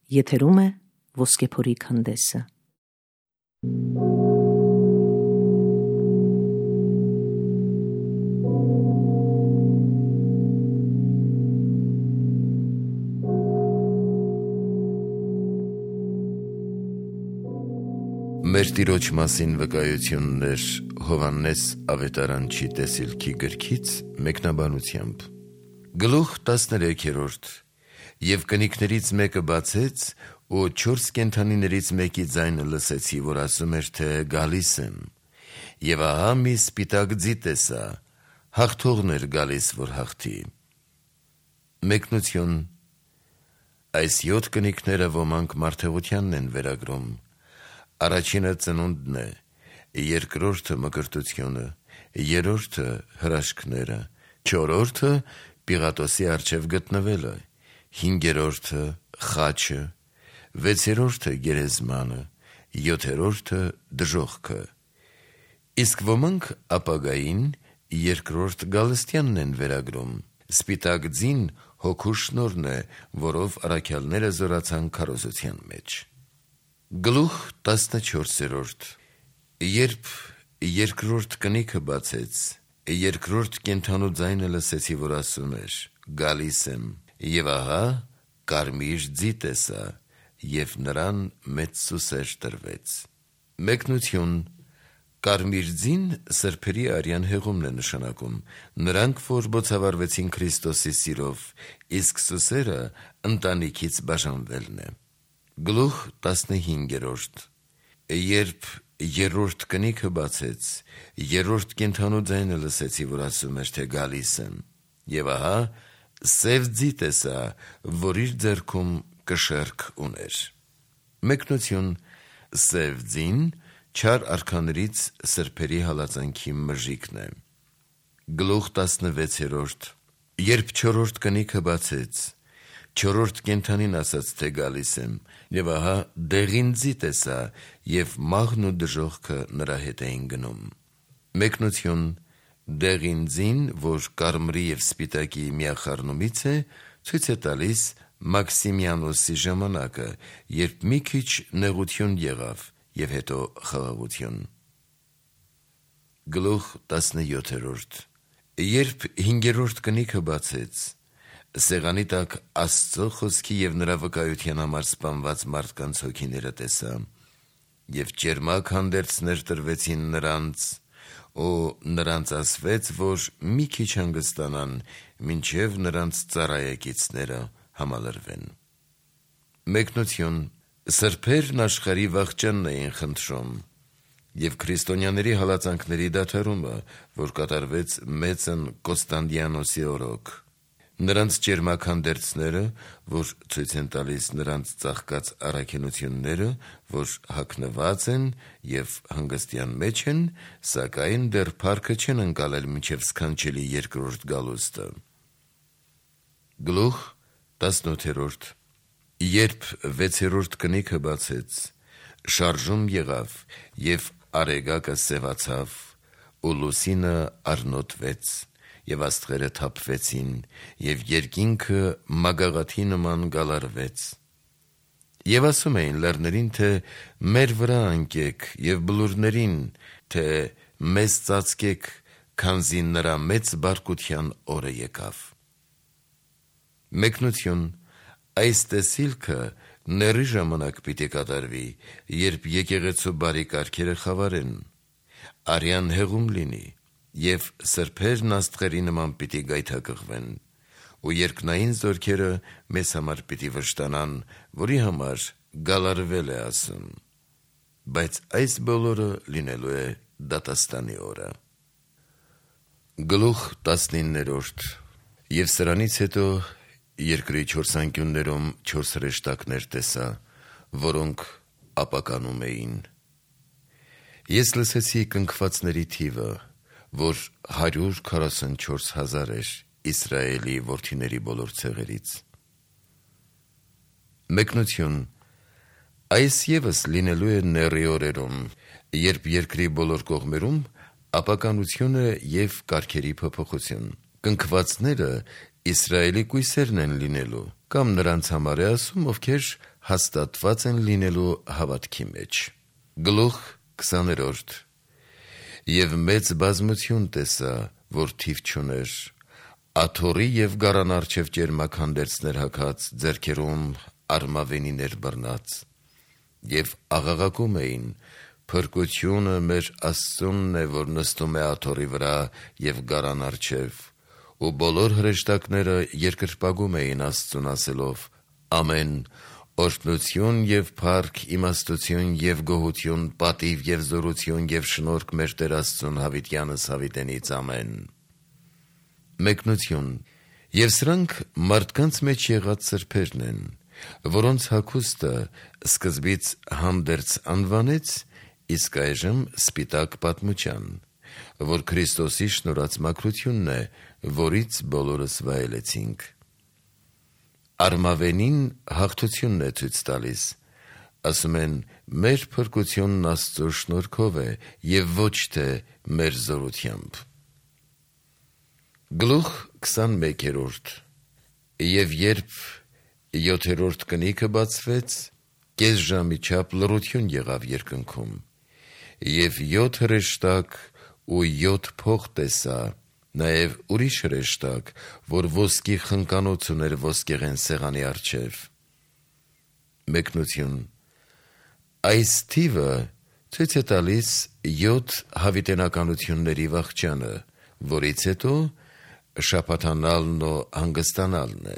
Եթերում է Ոսկեփորի քանդեսը։ Մեր Տիրոջ մասին վկայություններ Հովհաննես ավետարանչի տեսիլքի գրքից մեկնաբանությամբ։ Գլուխ 13. Եվ կնիկներից մեկը բացեց, ու 4 կենդանիներից մեկի ձայնը լսեցի, որ ասում էր, թե գալիս եմ։ Եվ ահա մի սպիտակ ձի տեսա, հաղթողն էր գալիս, որ հաղթի։ Մեկնություն։ Այս 7 կնիկները ոմանք մարդեղությանն են վերագրում։ Առաջինը ծնունդն է, երկրորդը մկրտությունը, երրորդը հրաշքները, չորրորդը Պիղատոսի առջև գտնվելը, հինգերորդը խաչը, վեցերորդը գերեզմանը, յոթերորդը դժոխքը։ Իսկ ոմանք ապագային երկրորդ գալստյանն են վերագրում։ Սպիտակ ձին հոգու շնորհն է, որով առաքյալները զորացան քարոզության մեջ։ Գլուխ 14. Երբ երկրորդ կնիքը բացեց, երկրորդ կենդանու ձայնը լսեցի, որ ասում էր, գալիս եմ, եւ ահա կարմիր ձի տեսա, եւ նրան մեծ սուսեր տրվեց։ Մեկնություն։ Կարմիր ձին սրբերի արյան հեղումն է նշանակում, նրանք, որ բոցավառվեցին Քրիստոսի սիրով, իսկ սուսերը ընտանիքից բաժանվելն է։ Գլուխ 15. Երբ երրորդ կնիքը բացեց, երրորդ կենդանու ձայնը լսեցի, որ ասում էր, թե գալիս եմ, եւ ահա սև ձի տեսա, որ իր ձեռքում կշեռք ուներ։ Մեկնություն։ Սև ձին չար արքաներից սրբերի հալածանքի մժիկն է։ Գլուխ 16. Երբ չորրորդ կնիքը բացեց, չորրորդ կենդանին ասաց, թե գալիս եմ, եւ ահա դեղին ձի տեսա, եւ մահն ու դժոխքը նրա հետ էին գնում։ Մեկնություն։ Դեղին ձին, որ կարմրի եւ սպիտակի միախառնումից է, ցույց է տալիս Մաքսիմիանոսի ժամանակը, երբ մի քիչ նեղություն եղավ եւ հետո խաղաղություն։ Գլուխ 17. Երբ հինգերորդ կնիքը բացեց, սեղանի տակ Աստծո խոսքի եւ նրա վկայության համար սպանված մարդկանց հոգիները տեսա, եւ ճերմակ հանդերձներ տրվեցին նրանց, ու նրանց ասվեց, որ մի քիչ հանգստանան, մինչեւ նրանց ծառայեկիցները համալրվեն։ Մեկնություն։ Սրբերն աշխարհի վախճանն էին խնդրում, եւ քրիստոնյաների հալածանքների դադարումը, որ կատարվեց մեծն Կոստանդիանոսի օրոք։ Նրանց ճերմակ հանդերձները, որ ցույց են տալիս նրանց ծաղկած առաքինությունները, որ հագնված են եւ հանգստյան մեջ են, սակայն դեռ փառքը չեն ընկալել մինչեւ սքանչելի երկրորդ գալուստը։ Գլուխ 18. Երբ վեցերորդ կնիքը բացեց, շարժում եղավ, եւ արեգակը սևացավ, ու լուսինը առնոտվեց, եւ աստղերը թափվեցին, եւ երկինքը մագաղաթի նման գալարվեց։ Եվ ասում էին լեռներին, թե մեր վրա անկեք, եւ բլուրներին, թե մեզ ծածկեք, քանզի նրա մեծ բարկության օրը եկավ։ Մեկնություն։ Այս տեսիլքը ների ժամանակ պիտի կատարվի, երբ եկեղեցու բարի կարգերը խավարեն, արյան հեղում լինի, եւ սրբերն աստղերի նման պիտի գայթակղվեն, ու երկնային զորքերը մեզ համար պիտի վշտանան, որի համար գալարվել է ասում, բայց այս բոլորը լինելու է դատաստանի օրը։ Գլուխ 19. Եվ սրանից հետո երկրի 4 անկյուններում 4 հրեշտակներ տեսա, որոնք ապականում էին։ Ես լսեցի կնքվածների թիվը, որ 144,000 էր Իսրայելի որդիների բոլոր ցեղերից։ Մեկնություն։ Այս ևս լինելու է նեռի օրերում, երբ երկրի բոլոր կողմերում ապականությունը եւ կարգերի փոփոխություն։ Կնքվածները Իսրայելի կույսերն են լինելու, կամ նրանց համար է ասում, ովքեր հաստատված են լինելու հավատքի մեջ։ Գլուխ 20 Եվ մեծ բազմություն տեսա, որ թիվ չուներ, աթոռի և գարան առջև ճերմաքանդերձներ հագած, ձեռքերում արմավենիներ բռնած, և աղաղակում էին. «Փրկությունը մեր Աստծունն է, որ նստում է աթոռի վրա և գարան առջև», ու բոլոր հրեշտակները երկրպագում էին Աստծուն ասելով. «Ամեն, օրհնություն և փառք, իմաստություն և գոհություն, պատիվ և զորություն և շնորհք մեր Տեր Աստծուն հավիտյանս հավիտենից, ամեն»։ Մեկնություն. Եվ սրանք մարդկանց մեջ եղած սրբերն են, որոնց հագուստը սկզբից հանդերձ անվանեց, իսկ այժմ սպիտակ պատմության, որ Քրիստոսի շնորհած մաքրությունն է, որից բոլորս վայելեցինք։ Արմավենին հաղթությունն է ցույց տալիս, ասում են մեր փրկությունն Աստծո շնորհքով է և ոչ թե մեր զորությամբ։ Գլուխ 21 Եվ երբ 7-րդ կնիքը բացվեց, կես ժամի չափ լռություն եղավ երկնքում, և 7 հրեշտակ ու 7 փող տեսա, նաև ուրիշ հրեշտակ, որ ոսկի խնկանոց ուներ ոսկեղեն սեղանի առջև։ Մեկնություն. Այս թիվը ցույց է տալիս 7 հավիտենականությունների վախճանը, որից հետո շաբաթանալն ու հանգստանալն է։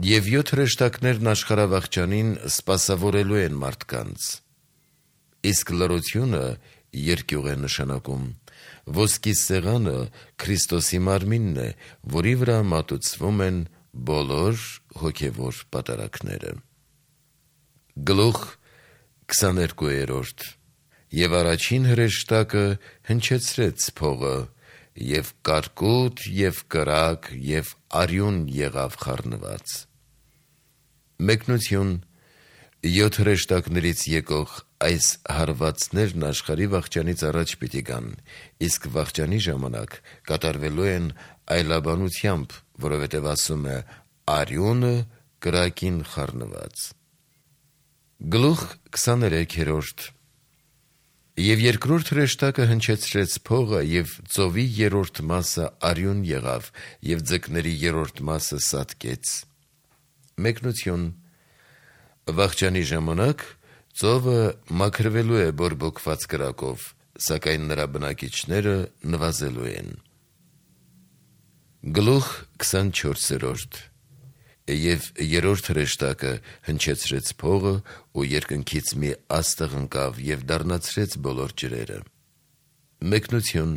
Եվ 7 հրեշտակներն աշխարհավախճանին սպասավորելու են մարդկանց, իսկ լռությունը երկյուղ է նշանակում։ Ոսկի սեղանը Քրիստոսի մարմինն է, որի վրա մատուցվում են բոլոր հոգևոր պատարագները։ Գլուխ 22 Եվ առաջին հրեշտակը հնչեցրեց փողը, և կարկուտ և կրակ և արյուն եղավ խառնված։ Մեկնություն. 7 հրեշտակներից եկող այս հարվածներն աշխարհի վախճանից առաջ պիտի գան, իսկ վախճանի ժամանակ կատարվելու են այլաբանությամբ, որովհետև ասում է արյունը կրակին խառնված։ Գլուխ 23 Եվ երկրորդ հրեշտակը հնչեցրեց փողը, և ծովի 3-րդ մասը արյուն եղավ, և ձկների 3-րդ մասը սատկեց։ Մեկնություն. Վախճանի ժամանակ ծովը մաքրվելու է բորբոքված կրակով, սակայն նրա բնակիչները նվազելու են։ Գլուխ 24 Եվ 3-րդ հրեշտակը հնչեցրեց փողը, ու երկնքից մի աստղ ընկավ և դառնացրեց բոլոր ջրերը։ Մեկնություն.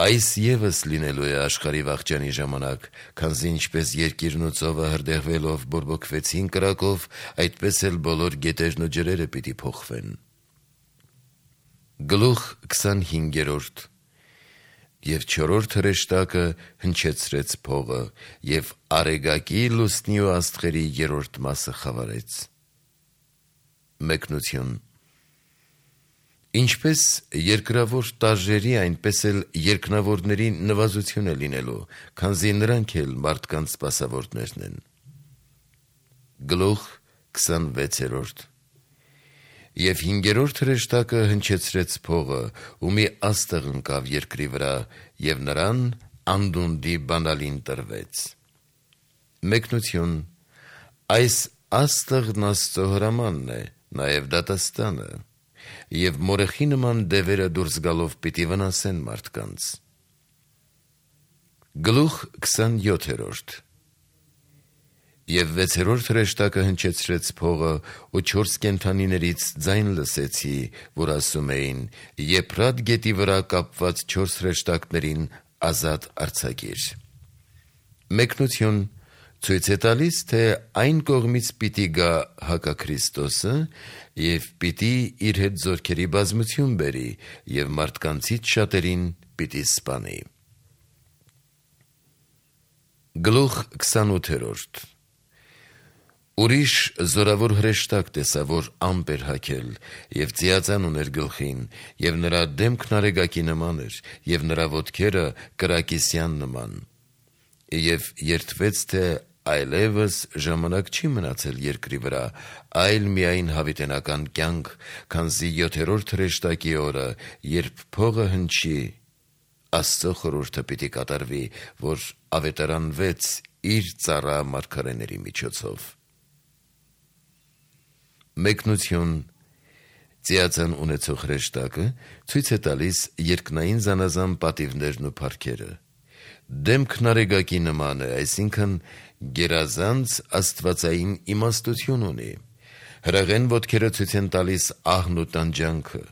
Այս ևս լինելու է աշխարհի վախճանի ժամանակ, քանզի ինչպես երկիրն ու ծովը հրդեհվելով բորբոքվեցին կրակով, այդպես էլ բոլոր գետերն ու ջրերը պիտի փոխվեն։ Գլուխ 25 Եվ 4-րդ հրեշտակը հնչեցրեց փողը, և արեգակի, լուսնի ու աստղերի 3-րդ մասը խավարեց։ Մեկնություն. Ինչպես երկրավոր տարրերի, այնպես էլ երկնավորների նվազություն է լինելու, քանզի նրանք էլ մարդկանց սպասավորներն են։ Գլուխ 26 Եվ 5-րդ հրեշտակը հնչեցրեց փողը, ու մի աստղ ընկավ երկրի վրա, և նրան անդունդի բանալին տրվեց։ Մեկնություն. Այս աստղն Աստծո հրամանն է, նաև դատաստանը, և մորեխի նման դևերը դուրս գալով պիտի վնասեն մարդկանց։ Գլուխ 27 Եվ 6-րդ հրեշտակը հնչեցրեց փողը, ու 4 կենդանիներից ձայն լսեցի, որ ասում էին. Եփրատ գետի վրա կապված 4 հրեշտակներին ազատ արձակիր։ Մեկնություն. ցույց է տալիս, թե այն կողմից պիտի գա հակաքրիստոսը և պիտի իր հետ զորքերի բազմություն բերի և մարդկանցից շատերին պիտի սպանի։ Գլուխ 28 Ուրիշ զորավոր հրեշտակ տեսա, որ ամպ էր հագել, և ծիածան ուներ գլխին, և նրա դեմքն արեգակի նման էր, և նրա ոտքերը կրակիսյան նման, և երդվեց, թե այլևս ժամանակ չի մնացել երկրի վրա, այլ միայն հավիտենական կյանք, քանզի 7-րդ հրեշտակի օրը, երբ փողը հնչի, Աստծո խորհուրդը պիտի կատարվի, որ ավետարանվեց իր ծառա մարգարեների միջոցով։ Մեկնություն Ծիածան ունեցող հրեշտակը ցույց է տալիս երկնային զանազան պատիվներն ու փառքերը։ Դեմքն արեգակի նման է, այսինքն գերազանց աստվածային իմաստություն ունի։ Հրաղեն ոտքերը ցույց են տալիս ահն ու տանջանքը,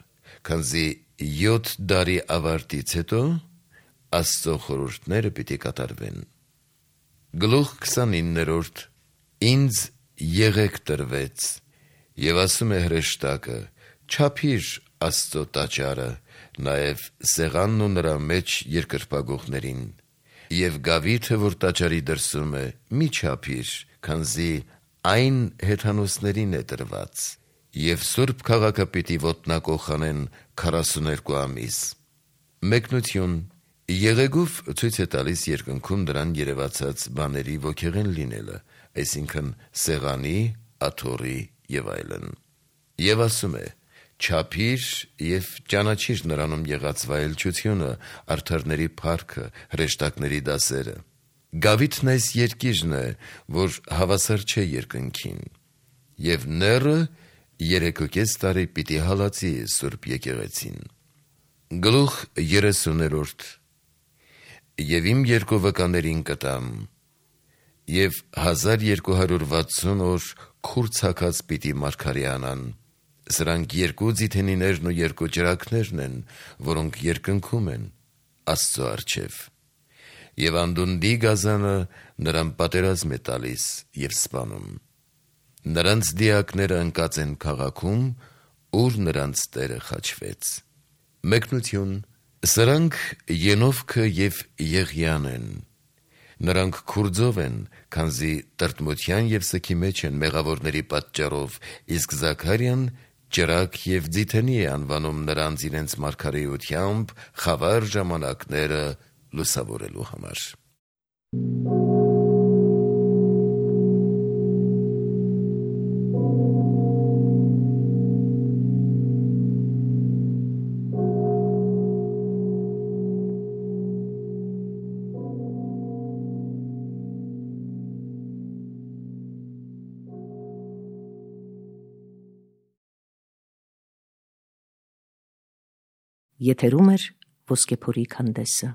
քանզի 7 դարի ավարտից հետո Աստծո խորհուրդները պիտի կատարվեն։ Գլուխ 29 Ինձ եղեք տրվեց, եւ ասում է հրեշտակը, չափիր Աստծո տաճարը, նաեւ սեղանն ու նրա մեջ երկրպագողներին, եւ գավիթը, որ տաճարի դրսում է, մի չափիր, քանզի այն հեթանոսներին է տրված, եւ սուրբ քաղաքը պիտի ոտնակող անեն 42 ամիս։ Մեկնություն Եղեգուվ ցույց է տալիս երկնքում դրան երևացած բաների ոգեղեն լինելը, այսինքն սեղանի, աթոռի եւ այլն։ Եվ ասում է. չափիր եւ ճանաչիր նրանում եղած վայելչությունը, արդարների փառքը, հրեշտակների դասերը։ Գավիթն այս երկիժն է, որ հավասար չէ երկնքին, եւ նեռը 3.5 տարի պիտի հալածի սուրբ եկեղեցին։ Գլուխ 30 Եվ իմ երկու վկաներին կտամ, եւ 1260 օր քուր ցակած պիտի մարգարեանան, սրանք 2 ձիթենիներն ու 2 ճրագներն են, որոնք երկնքում են Աստծո առջև, եւ անդունդի գազանը նրան պատերազմ է տալիս եւ սպանում, նրանց դիակները ընկած են քաղաքում, ուր նրանց Տերը խաչվեց։ Մեկնություն Սրանք Ենովքը եւ Եղիան են, նրանք քուրձով են, քանզի տրտմության եւ սքի մեջ են մեղավորների պատճառով, իսկ Զաքարյան ճրագ եւ ձիթենի է անվանում նրանց իրենց մարգարեությամբ խավար ժամանակները լուսավորելու համար։ Եթերում է Ոսկեփորի քանդեսը։